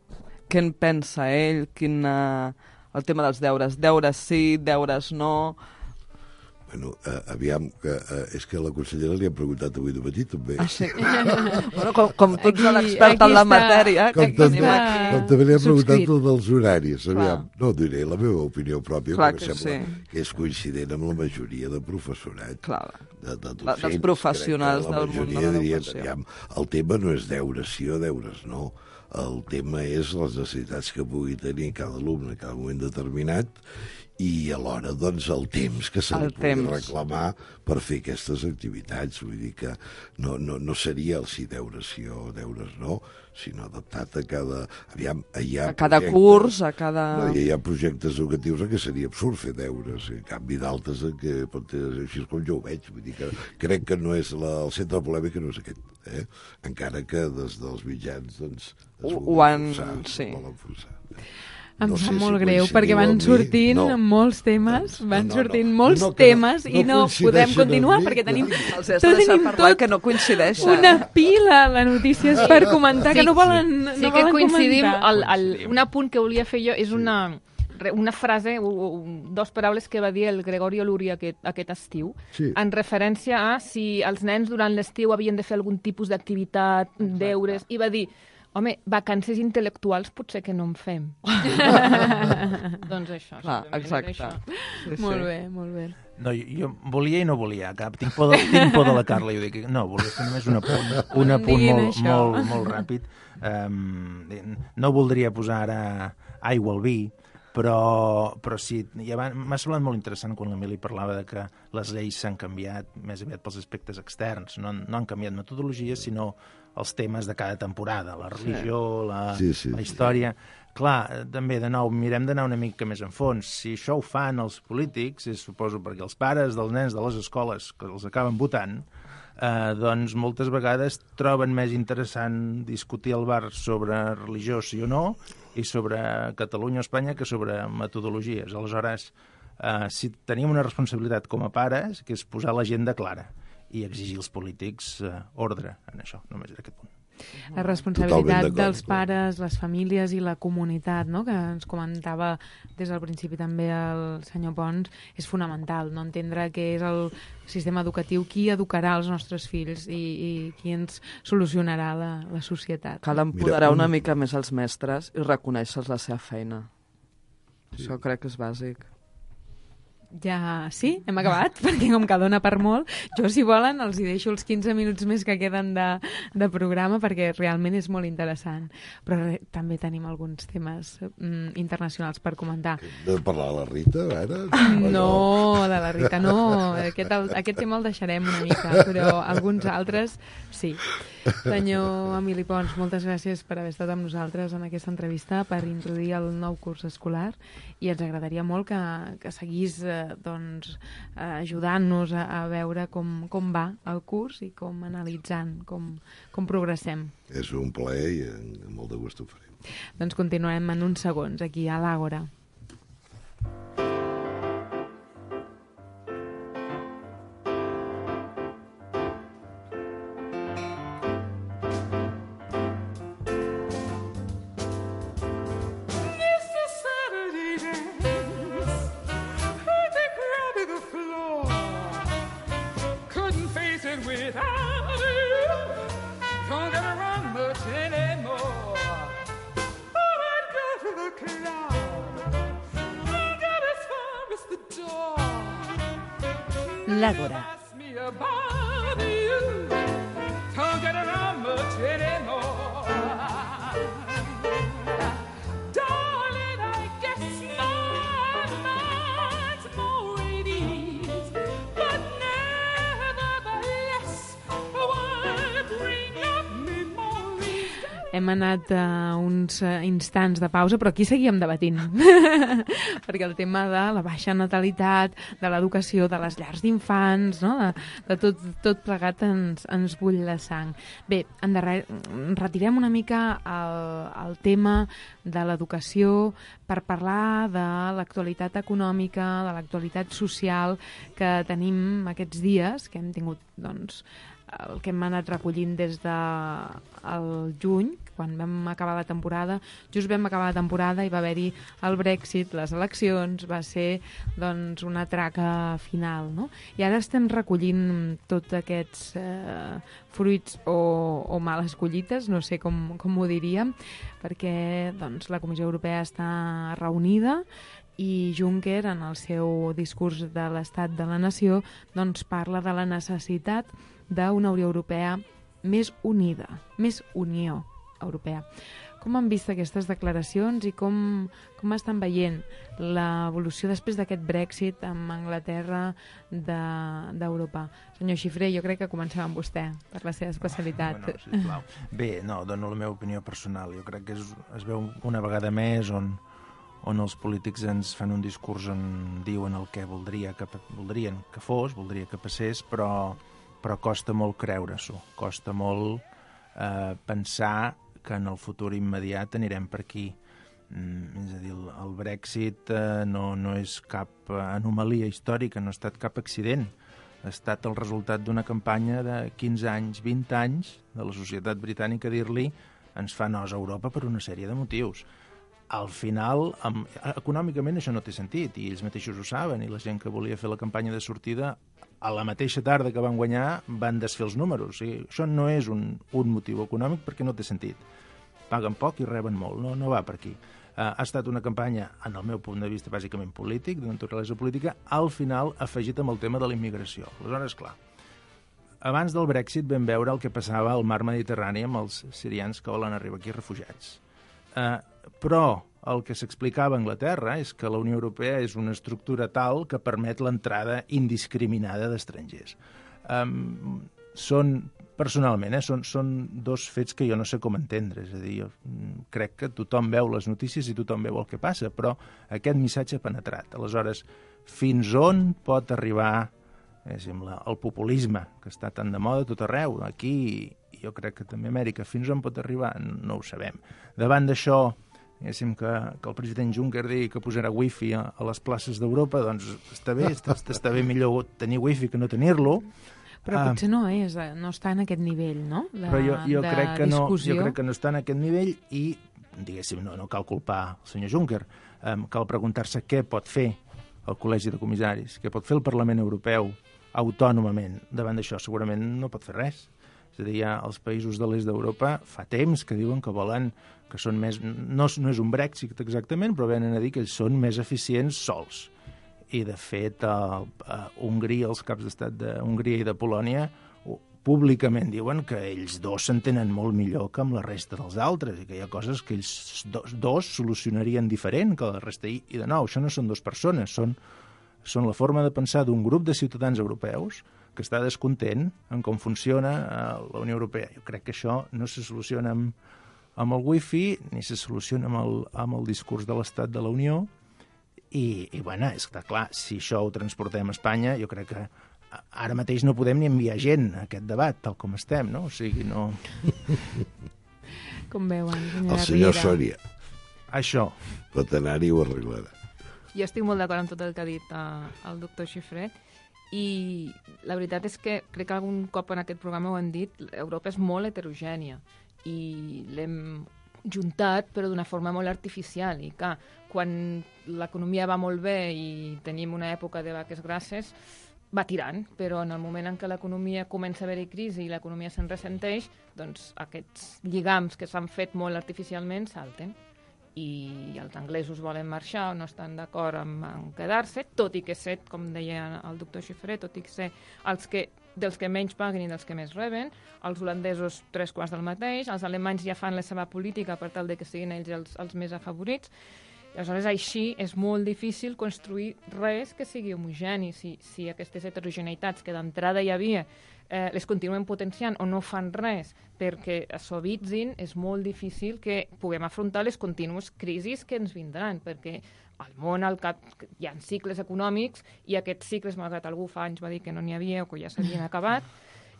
Què en pensa ell? El tema dels deures. Deures sí, deures no... Bueno, aviam, és que a la consellera li han preguntat avui de matí, també. Ah, sí? Bueno, com tu ets l'expert en la matèria... Com també li han preguntat tot dels horaris. Aviam, no diré la meva opinió pròpia, perquè sembla que és coincident amb la majoria de professorat. Clar, de docents, dels professionals del món de l'educació. Aviam, el tema no és deures sí o deures no. El tema és les necessitats que pugui tenir cada alumne en cada moment determinat i alhora, doncs, el temps que se li pugui reclamar per fer aquestes activitats. Vull dir que no seria el sí deures sí o deures no, sinó adaptat a cada... Aviam, a cada curs, a cada... No, hi ha projectes educatius en què seria absurd fer deures, en canvi d'altres en què pot ser així com jo ho veig. Vull dir que crec que no és el centre de polèmica no és aquest, encara que des dels mitjans, doncs, es volen forçar. Em sap molt greu, perquè van sortint molts temes, temes i no podem continuar, perquè tenim que no coincideix. Una pila de notícies per comentar que no volen comentar. Sí que coincidim, un apunt que volia fer jo és una frase, 2 paraules que va dir el Gregorio Luri aquest estiu, en referència a si els nens durant l'estiu havien de fer algun tipus d'activitat, deures, i va dir... Home, vacances intel·lectuals potser que no en fem. Doncs això. Clar, exacte. Molt bé, molt bé. No, jo volia i no volia cap. Tinc por de la Carla. Jo dic, no, volia fer només un apunt molt ràpid. No voldria posar ara aigua al vi, però sí, m'ha semblat molt interessant quan l'Emili parlava de que les lleis s'han canviat més aviat pels aspectes externs. No han canviat metodologies, sinó els temes de cada temporada, la religió, la història... Clar, també, de nou, mirem d'anar una mica més en fons. Si això ho fan els polítics, suposo perquè els pares dels nens de les escoles que els acaben votant, doncs moltes vegades troben més interessant discutir al bar sobre religió, sí o no, i sobre Catalunya o Espanya que sobre metodologies. Aleshores, si tenim una responsabilitat com a pares, que és posar l'agenda clara i exigir als polítics ordre en això, només en aquest punt. La responsabilitat dels pares, les famílies i la comunitat, no?, que ens comentava des del principi també el senyor Pons, és fonamental, no entendre que és el sistema educatiu qui educarà els nostres fills i qui ens solucionarà la societat. Cal empoderar una mica més els mestres i reconèixer la seva feina. Això crec que és bàsic. Ja, sí, hem acabat, perquè com que dona per molt, jo, si volen, els hi deixo els 15 minuts més que queden de programa, perquè realment és molt interessant. Però també tenim alguns temes internacionals per comentar. Hem de parlar de la Rita, ara? No, de la Rita no. Aquest tema el deixarem una mica, però alguns altres sí. Senyor Emili Pons, moltes gràcies per haver estat amb nosaltres en aquesta entrevista, per introduir el nou curs escolar, i ens agradaria molt que seguís ajudant-nos a veure com va el curs i com analitzant, com progressem. És un plaer i amb molt de gust ho farem. Doncs continuem en uns segons aquí a l'Àgora. L'Àgora. Hem anat a uns instants de pausa, però aquí seguíem debatint. Perquè el tema de la baixa natalitat, de l'educació, de les llars d'infants, no? de tot plegat ens bull la sang. Bé, retirem una mica el tema de l'educació per parlar de l'actualitat econòmica, de l'actualitat social que tenim aquests dies, que hem tingut, doncs, el que hem anat recollint des del juny, quan vam acabar la temporada. Just vam acabar la temporada i va haver-hi el Brexit, les eleccions, va ser doncs una traca final, no? I ara estem recollint tots aquests fruits o males collites, no sé com ho diríem, perquè doncs, la Comissió Europea està reunida i Juncker, en el seu discurs de l'Estat de la Nació, doncs parla de la necessitat d'una Unió Europea més unida, més Unió Europea. Com han vist aquestes declaracions i com estan veient l'evolució després d'aquest Brexit amb Anglaterra d'Europa? Senyor Xifré, jo crec que comencem amb vostè, per la seva especialitat. Bueno, sisplau. Bé, no, dono la meva opinió personal. Jo crec que es veu una vegada més on els polítics ens fan un discurs on diuen el que voldrien que fos, voldria que passés, però costa molt creure-s'ho, costa molt pensar que en el futur immediat anirem per aquí. És a dir, el Brexit no és cap anomalia històrica, no ha estat cap accident. Ha estat el resultat d'una campanya de 15 anys, 20 anys de la societat britànica dir-li ens fa nos a Europa per una sèrie de motius. Al final, econòmicament això no té sentit, i ells mateixos ho saben, i la gent que volia fer la campanya de sortida, a la mateixa tarda que van guanyar, van desfer els números. O sigui, això no és un motiu econòmic perquè no té sentit. Paguen poc i reben molt, no va per aquí. Ha estat una campanya, en el meu punt de vista, bàsicament polític, d'una naturalesa política, al final afegit amb el tema de la immigració. Aleshores, clar, abans del Brexit vam veure el que passava al mar Mediterrani amb els sirians que volen arribar aquí refugiats. Però el que s'explicava a Anglaterra és que la Unió Europea és una estructura tal que permet l'entrada indiscriminada d'estrangers. Personalment, són dos fets que jo no sé com entendre. És a dir, jo crec que tothom veu les notícies i tothom veu el que passa, però aquest missatge ha penetrat. Aleshores, fins on pot arribar el populisme, que està tan de moda tot arreu? Aquí, jo crec que també a Amèrica, fins on pot arribar? No ho sabem. Davant d'això, que el president Juncker digui que posarà wifi a les places d'Europa, doncs està bé millor tenir wifi que no tenir-lo. Però potser no està en aquest nivell, no? Però jo crec que no està en aquest nivell i, diguéssim, no cal culpar el senyor Juncker. Cal preguntar-se què pot fer el Col·legi de Comissaris, què pot fer el Parlament Europeu autònomament. Davant d'això segurament no pot fer res. És a dir, els països de l'est d'Europa fa temps que diuen que volen que són més... No és un Brexit exactament, però venen a dir que ells són més eficients sols. I de fet, Hongria, els caps d'estat d'Hongria i de Polònia, públicament diuen que ells dos s'entenen molt millor que amb la resta dels altres i que hi ha coses que ells dos solucionarien diferent que la resta. I de nou, això no són dues persones, són la forma de pensar d'un grup de ciutadans europeus que està descontent en com funciona la Unió Europea. Jo crec que això no se soluciona amb el wifi ni se soluciona amb el discurs de l'Estat de la Unió i bueno, és clar, si això ho transportem a Espanya, jo crec que ara mateix no podem ni enviar gent a aquest debat, tal com estem, no? O sigui, no... Com veuen, senyora Riera? El senyor Sòria. Això. Pot anar-hi i ho arreglarà. Jo estic molt d'acord amb tot el que ha dit el doctor Xifré i la veritat és que crec que algun cop en aquest programa ho han dit, Europa és molt heterogènia i l'hem juntat però d'una forma molt artificial i que quan l'economia va molt bé i tenim una època de vaques grasses va tirant, però en el moment en què l'economia comença a haver-hi crisi i l'economia se'n ressenteix, doncs aquests lligams que s'han fet molt artificialment salten. I els anglesos volen marxar o no estan d'acord en quedar-se, tot i que ser, com deia el doctor Xifré, tot i que ser dels que menys paguen i dels que més reben, els holandesos 3/4 del mateix, els alemanys ja fan la seva política per tal de que siguin ells els més afavorits. Aleshores, així és molt difícil construir res que sigui homogeni. Si aquestes heterogeneïtats que d'entrada hi havia les continuen potenciant o no fan res perquè suavitzin, és molt difícil que puguem afrontar les contínues crisis que ens vindran, perquè al món hi ha cicles econòmics i aquests cicles, malgrat algú fa anys va dir que no n'hi havia o que ja s'havien acabat,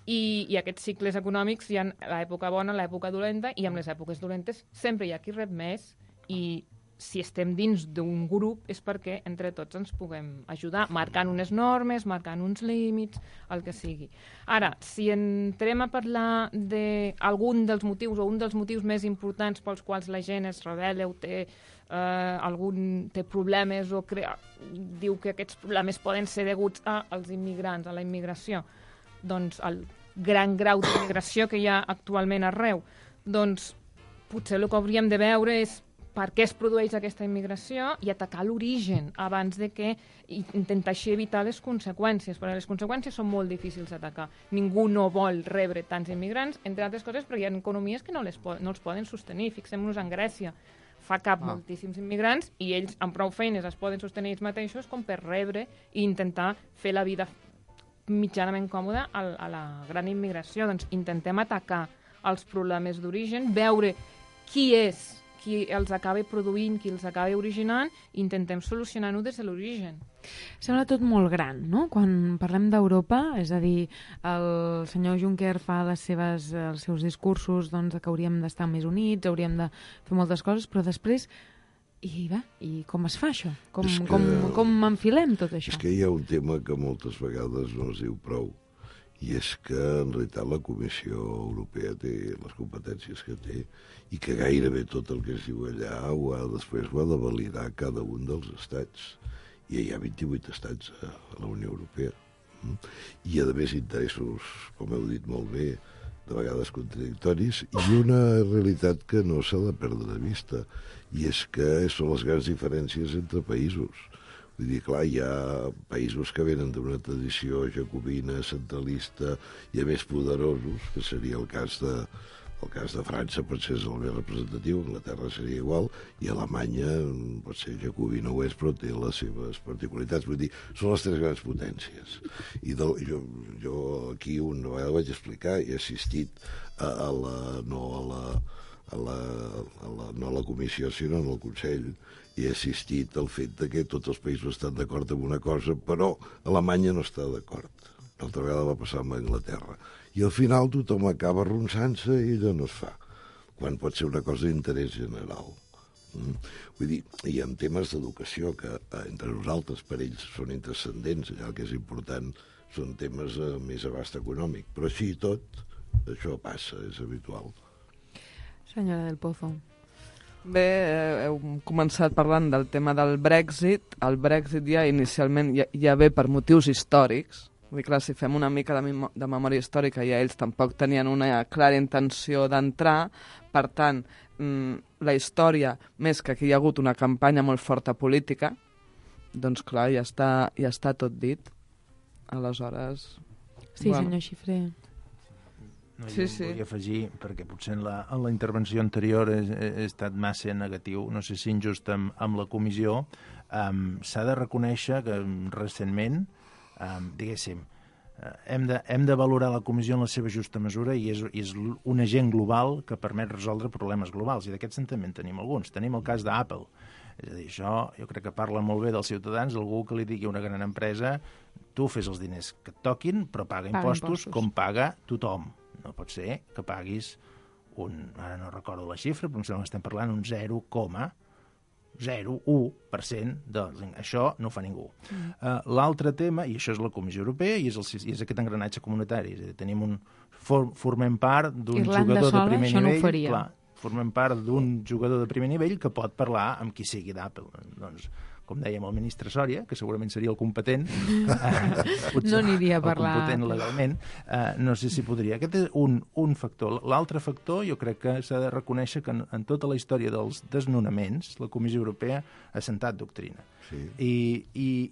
i aquests cicles econòmics hi ha l'època bona, l'època dolenta, i amb les èpoques dolentes sempre hi ha qui rep més i si estem dins d'un grup és perquè entre tots ens puguem ajudar, marcant unes normes, marcant uns límits, el que sigui. Ara, si entrem a parlar d'algun dels motius o un dels motius més importants pels quals la gent es rebel·la o té problemes o diu que aquests problemes poden ser deguts als immigrants, a la immigració, doncs el gran grau d'immigració que hi ha actualment arreu, doncs potser el que hauríem de veure és per què es produeix aquesta immigració i atacar l'origen abans de que intentar així evitar les conseqüències, perquè les conseqüències són molt difícils d'atacar. Ningú no vol rebre tants immigrants, entre altres coses perquè hi ha economies que no els poden sostenir. Fixem-nos en Grècia. Fa cap moltíssims immigrants i ells amb prou feines es poden sostenir ells mateixos com per rebre i intentar fer la vida mitjanament còmoda a la gran immigració. Doncs intentem atacar els problemes d'origen, veure qui és qui els acaba produint, qui els acaba originant, i intentem solucionar-ho des de l'origen. Sembla tot molt gran, no? Quan parlem d'Europa, és a dir, el senyor Juncker fa els seus discursos doncs, que hauríem d'estar més units, hauríem de fer moltes coses, però després, i com es fa això? Com enfilem tot això? És que hi ha un tema que moltes vegades no es diu prou, i és que en realitat la Comissió Europea té les competències que té i que gairebé tot el que es diu allà després ho ha de validar cada un dels estats. I hi ha 28 estats a la Unió Europea. I a més interessos, com heu dit molt bé, de vegades contradictoris, i una realitat que no s'ha de perdre de vista, i és que són les grans diferències entre països. Vull dir, clar, hi ha països que venen d'una tradició jacobina, centralista i a més poderosos, que seria el cas de França, potser és el més representatiu, Anglaterra seria igual, i Alemanya potser jacobina ho és, però té les seves particularitats. Vull dir, són les tres grans potències. I jo aquí una vegada vaig explicar, he assistit no a la comissió, sinó al Consell, i he assistit al fet que tots els països estan d'acord amb una cosa, però Alemanya no està d'acord. L'altra vegada va passar amb Anglaterra. I al final tothom acaba arronsant-se i allò no es fa, quan pot ser una cosa d'interès general. Vull dir, hi ha temes d'educació que entre nosaltres, per ells, són intranscendents, allà el que és important són temes més abast econòmic, però així i tot, això passa, és habitual. Senyora del Pozo. Bé, heu començat parlant del tema del Brexit. El Brexit ja inicialment ja ve per motius històrics. Vull dir, clar, si fem una mica de memòria històrica, ja ells tampoc tenien una clara intenció d'entrar. Per tant, la història, més que aquí hi ha hagut una campanya molt forta política, doncs clar, ja està tot dit. Aleshores... Sí, senyor Xifré. Volia afegir, perquè potser en la intervenció anterior he estat massa negatiu, no sé si injust amb la comissió. S'ha de reconèixer que recentment, diguéssim, hem de valorar la comissió en la seva justa mesura i és un agent global que permet resoldre problemes globals, i d'aquests també en tenim alguns. Tenim el cas d'Apple. És a dir, això jo crec que parla molt bé dels ciutadans, algú que li digui a una gran empresa: tu fes els diners que et toquin, però paga impostos com paga tothom. No pot ser que paguis ara no recordo la xifra, però em sembla que estem parlant un 0,01%. Això no ho fa ningú. L'altre tema, i això és la Comissió Europea, i és aquest engranatge comunitari. És a dir, formem part d'un jugador de primer nivell. Clar, formem part d'un jugador de primer nivell que pot parlar amb qui sigui d'Apple. Doncs, com dèiem, el ministre Sòria, que segurament seria el competent, no aniria a parlar. El competent legalment, no sé si podria. Aquest és un factor. L'altre factor, jo crec que s'ha de reconèixer que en tota la història dels desnonaments, la Comissió Europea ha sentat doctrina. Sí. I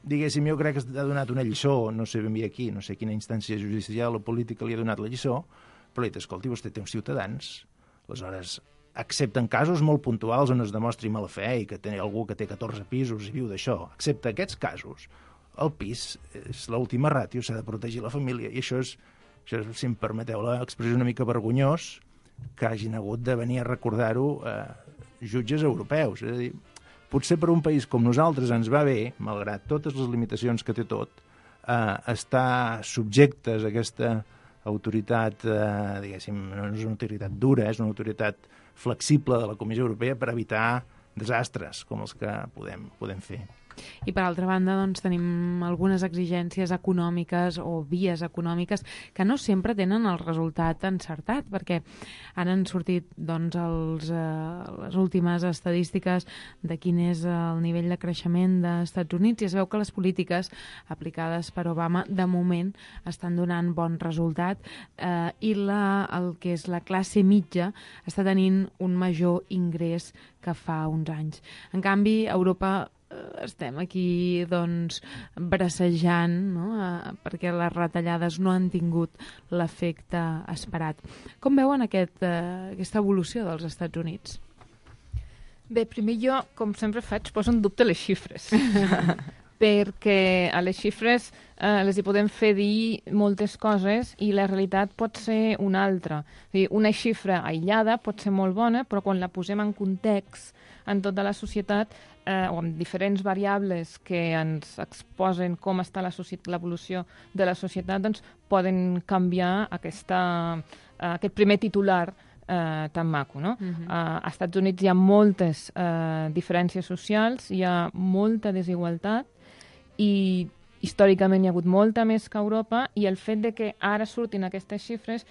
diguéssim, jo crec que ha donat una lliçó, no sé ben bé aquí, no sé quina instància judicial o política li ha donat la lliçó, però li ha dit: escolti, vostè té uns ciutadans, aleshores, excepte en casos molt puntuals on es demostri mala fe i que té algú que té 14 pisos i viu d'això, excepte aquests casos, el pis és l'última ràtio, s'ha de protegir la família, i això és, si em permeteu l'expressió, una mica vergonyós que hagin hagut de venir a recordar-ho jutges europeus. És a dir, potser per un país com nosaltres ens va bé, malgrat totes les limitacions que té tot, estar subjectes a aquesta autoritat, diguéssim, no és una autoritat dura, és una autoritat flexible de la Comissió Europea per evitar desastres com els que podem fer. I per altra banda, doncs, tenim algunes exigències econòmiques o vies econòmiques que no sempre tenen el resultat encertat, perquè ara han sortit doncs, les últimes estadístiques de quin és el nivell de creixement dels Estats Units, i es veu que les polítiques aplicades per Obama de moment estan donant bon resultat, i el que és la classe mitja està tenint un major ingrés que fa uns anys. En canvi, a Europa estem aquí doncs bracejant, no? Perquè les retallades no han tingut l'efecte esperat. Com veuen aquesta evolució dels Estats Units? Bé, primer jo, com sempre faig, poso en dubte les xifres. Perquè a les xifres les hi podem fer dir moltes coses i la realitat pot ser una altra. És a dir, una xifra aïllada pot ser molt bona, però quan la posem en context en tota la societat, o amb diferents variables que ens exposen com està l'evolució de la societat, doncs poden canviar aquest primer titular tan maco, no? Als Estats Units hi ha moltes diferències socials, hi ha molta desigualtat i històricament hi ha hagut molta més que a Europa, i el fet de que ara surtin aquestes xifres,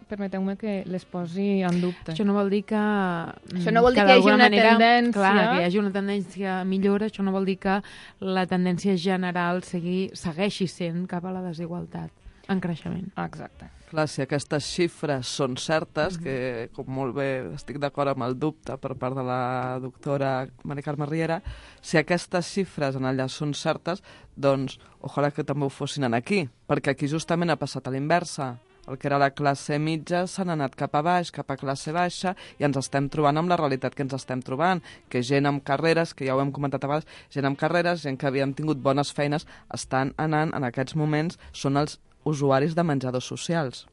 permeteu-me que les posi en dubte. Això no vol dir que... Això no vol dir que hi hagi una tendència... Clar, que hi hagi una tendència millora, això no vol dir que la tendència general segueixi sent cap a la desigualtat en creixement. Exacte. Clar, si aquestes xifres són certes, que com molt bé estic d'acord amb el dubte per part de la doctora Mari Carme Riera, si aquestes xifres en allà són certes, doncs ojalà que també ho fossin aquí, perquè aquí justament ha passat a l'inversa. El que era la classe mitja s'han anat cap a baix, cap a classe baixa, i ens estem trobant amb la realitat que ens estem trobant, que gent amb carreres, que ja ho hem comentat a vegades, gent amb carreres, gent que havien tingut bones feines, estan anant, en aquests moments, són els usuaris de menjadors socials.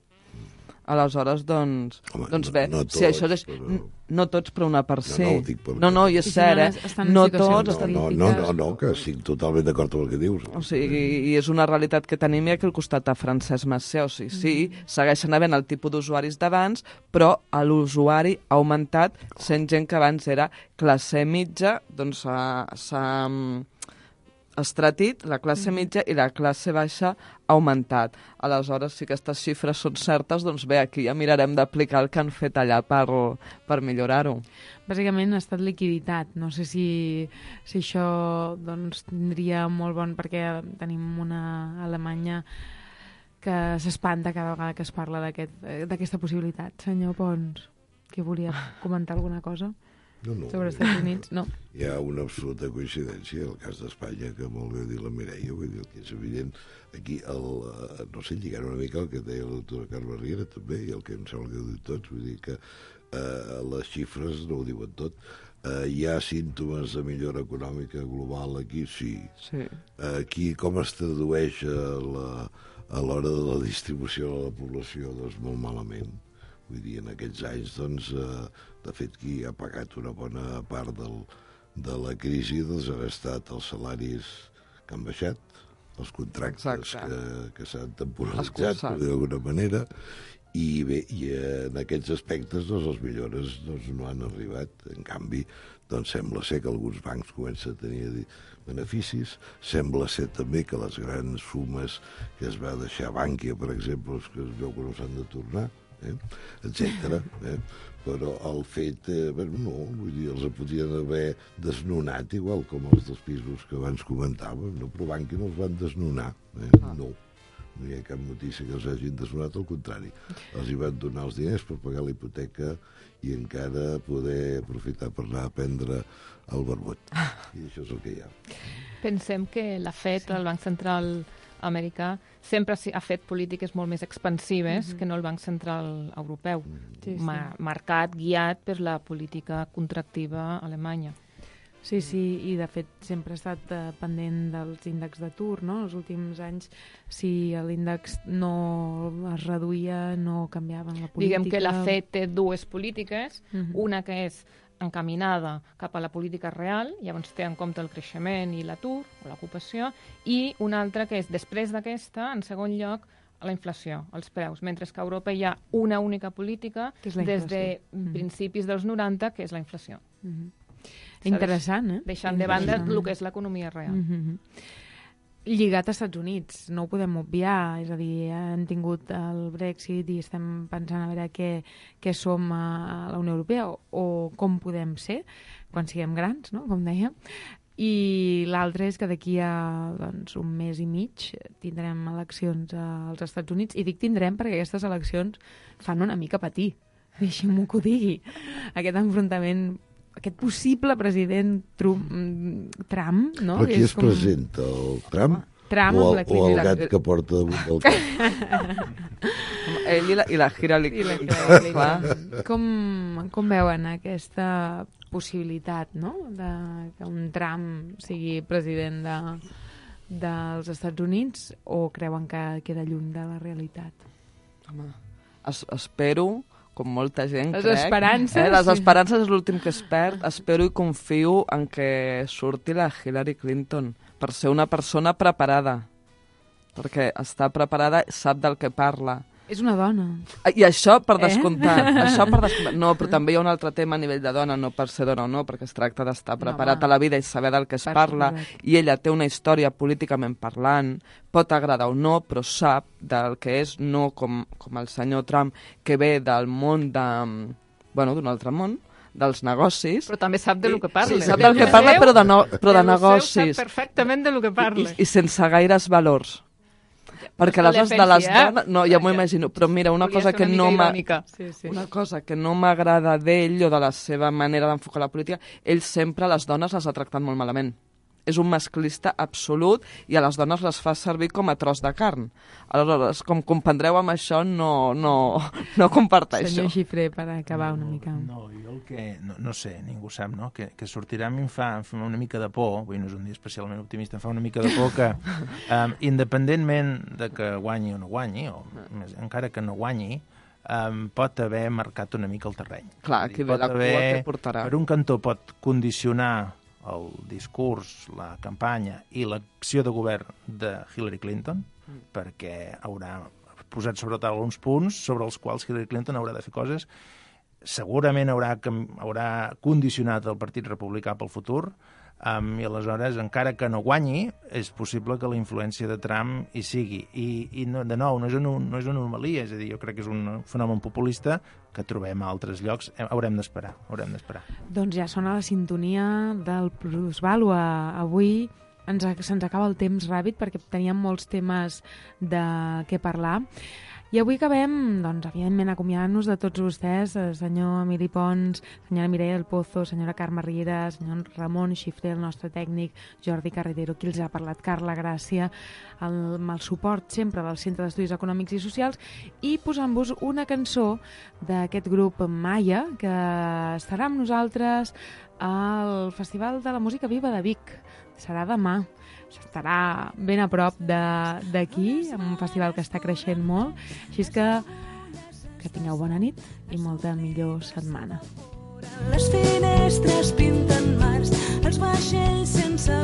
Aleshores, doncs... Home, doncs bé, no tots, si això és... però... No tots, però una per ser. No, ho dic per... No, i és cert, no tots... No, que estic totalment d'acord amb el que dius. O sigui, i és una realitat que tenim aquí al costat de Francesc Macià. O sigui, sí, segueixen havent el tipus d'usuaris d'abans, però l'usuari ha augmentat, sent gent que abans era classe mitja, doncs s'ha estratit, la classe mitja, i la classe baixa ha augmentat. Aleshores, si aquestes xifres són certes, doncs bé, aquí ja mirarem d'aplicar el que han fet allà per millorar-ho. Bàsicament ha estat liquiditat. No sé si això doncs, tindria molt bon, perquè tenim una Alemanya que s'espanta cada vegada que es parla d'aquesta possibilitat. Senyor Pons, que volia comentar alguna cosa? sobre els Estats Units, no. Hi ha una absoluta coincidència, el cas d'Espanya, que molt bé dir la Mireia, vull dir, que és evident, aquí, no sé, lligant una mica el que deia la doctora Carme Riera, també, i el que em sembla que ho diu tots, vull dir que les xifres no ho diuen tot. Hi ha símptomes de millora econòmica global aquí? Sí. Aquí com es tradueix a l'hora de la distribució de la població? Doncs molt malament. Vull dir, en aquests anys, doncs, de fet, qui ha pagat una bona part de la crisi doncs, han estat els salaris que han baixat, els contractes que s'han temporalitzat, per dir d'alguna manera, i bé, i en aquests aspectes doncs, les millores doncs, no han arribat. En canvi, doncs, sembla ser que alguns bancs comencen a tenir beneficis, sembla ser també que les grans sumes que es va deixar a Bànquia, per exemple, que es veu que no s'han de tornar, etc. Però el fet, no, vull dir, els podien haver desnonat, igual com els dels pisos que abans comentàvem, no? Però Bànquia no els van desnonar, no hi ha cap notícia que els hagin desnonat, al contrari. Els hi van donar els diners per pagar la hipoteca i encara poder aprofitar per anar a prendre el barbot. I això és el que hi ha. Pensem que la FED, el Banc Central americà, sempre ha fet polítiques molt més expansives que no el Banc Central Europeu, marcat, guiat per la política contractiva alemanya. Sí, i de fet sempre ha estat pendent dels índexs d'atur, no? Els últims anys, si l'índex no es reduïa, no canviaven la política. Diguem que la FED té dues polítiques, una que és encaminada cap a la política real, llavors té en compte el creixement i l'atur, o l'ocupació, i una altra que és, després d'aquesta, en segon lloc, la inflació, els preus, mentre que a Europa hi ha una única política des de principis dels 90, que és la inflació. Interessant, Deixant de banda el que és l'economia real. Lligat als Estats Units, no ho podem obviar, és a dir, hem tingut el Brexit i estem pensant a veure què som a la Unió Europea o com podem ser quan siguem grans, no? Com dèiem. I l'altre és que d'aquí a un mes i mig tindrem eleccions als Estats Units, i dic tindrem perquè aquestes eleccions fan una mica patir, deixem-m'ho que ho digui. Aquest enfrontament, aquest possible president Trump, no? Però qui es presenta? El Trump? O el gat que porta damunt del cap? Ell i la Hillary Clinton. Com veuen aquesta possibilitat, no?, de que un Trump sigui president dels Estats Units, o creuen que queda lluny de la realitat? Home, espero, com molta gent, les crec. Esperances. Les esperances és l'últim que es perd. Espero i confio en que surti la Hillary Clinton per ser una persona preparada. Perquè està preparada, sap del que parla. És una dona. I això per descomptat. No, però també hi ha un altre tema a nivell de dona, no per ser dona o no, perquè es tracta d'estar preparat a la vida i saber del que es parla. I ella té una història políticament parlant, pot agradar o no, però sap del que és, no com el senyor Trump, que ve del món d'un altre món, dels negocis. Però també sap del que parla. Sí, sap del que parla, però de negocis. Sap perfectament del que parla. I sense gaires valors. Perquè aleshores de les dones... No, ja m'ho imagino. Però mira, una cosa que no m'agrada d'ell o de la seva manera d'enfocar la política, ell sempre les dones les ha tractat molt malament. És un masclista absolut i a les dones les fa servir com a tros de carn. Aleshores, com comprendreu amb això, no comparteixo. Senyor Xifré, per acabar una mica. No, jo el que... No sé, ningú sap, no? Que sortirà a mi em fa una mica de por, avui no és un dia especialment optimista, em fa una mica de por que, independentment de que guanyi o no guanyi, o encara que no guanyi, pot haver marcat una mica el terreny. Clar, qui ve la cua que portarà. Per un cantó pot condicionar el discurs, la campanya i l'acció de govern de Hillary Clinton, perquè haurà posat sobre taula uns punts sobre els quals Hillary Clinton haurà de fer coses. Segurament haurà condicionat el Partit Republicà pel futur, i aleshores, encara que no guanyi, és possible que la influència de Trump hi sigui. I no, de nou, no és una anomalia, és a dir, jo crec que és un fenomen populista que trobem a altres llocs. Haurem d'esperar. Doncs ja sona la sintonia del Plusvàlua. Avui se'ns acaba el temps ràpid perquè teníem molts temes de què parlar. I avui acabem, doncs, evidentment, acomiadant-nos de tots vostès, senyor Emili Pons, senyora Mireia del Pozo, senyora Carme Riera, senyor Ramon Xifré, el nostre tècnic, Jordi Carretero, qui els ha parlat, Carla Gràcia, amb el suport sempre del Centre d'Estudis Econòmics i Socials, i posant-vos una cançó d'aquest grup Maia, que estarà amb nosaltres al Festival de la Música Viva de Vic. Serà demà. Estarà ben a prop d'aquí, en un festival que està creixent molt. Així és que tingueu bona nit i molta millor setmana. Les finestres pinten mars, els vaixells sense